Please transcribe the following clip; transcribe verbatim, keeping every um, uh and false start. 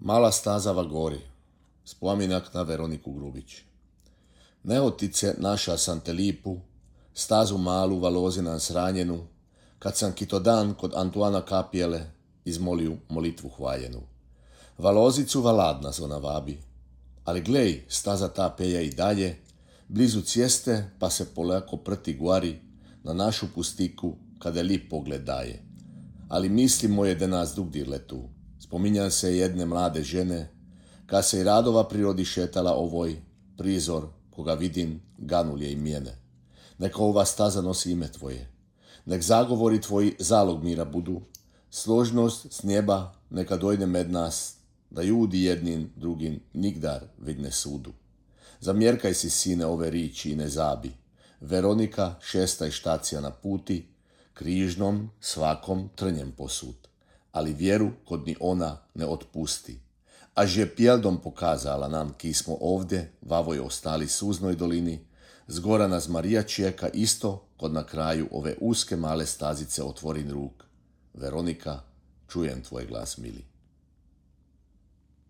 Mala stazava gori, spominak na Veroniku Grubić. Neotice naša sam te lipu, stazu malu valozinan sranjenu, kad sam kito dan kod Antuana Kapijele izmoliju molitvu hvaljenu. Valozicu valadna zona vabi, ali glej, staza ta peja i dalje, blizu cjeste pa se polako prti guari na našu pustiku kada lip pogled daje. Ali misli moje da nas drugdir letu, spominjan se jedne mlade žene, kad se i radova prirodi šetala ovoj prizor, koga vidim, ganul je i mjene. Neka ova staza nosi ime tvoje, nek zagovori tvoji zalog mira budu, složnost s njeba neka dojde med nas, da ljudi jednim drugim nigdar vidne sudu. Zamjerkaj si, sine, ove riči i ne zabi. Veronika šesta i štacija na puti, križnom svakom trnjem posud, ali vjeru kod ni ona ne otpusti. A že pjeldom pokazala nam, ki smo ovdje, vavoj ostali suznoj dolini, zgora nas Marija čeka isto, kod na kraju ove uske male stazice otvorin ruk. Veronika, čujem tvoj glas, mili.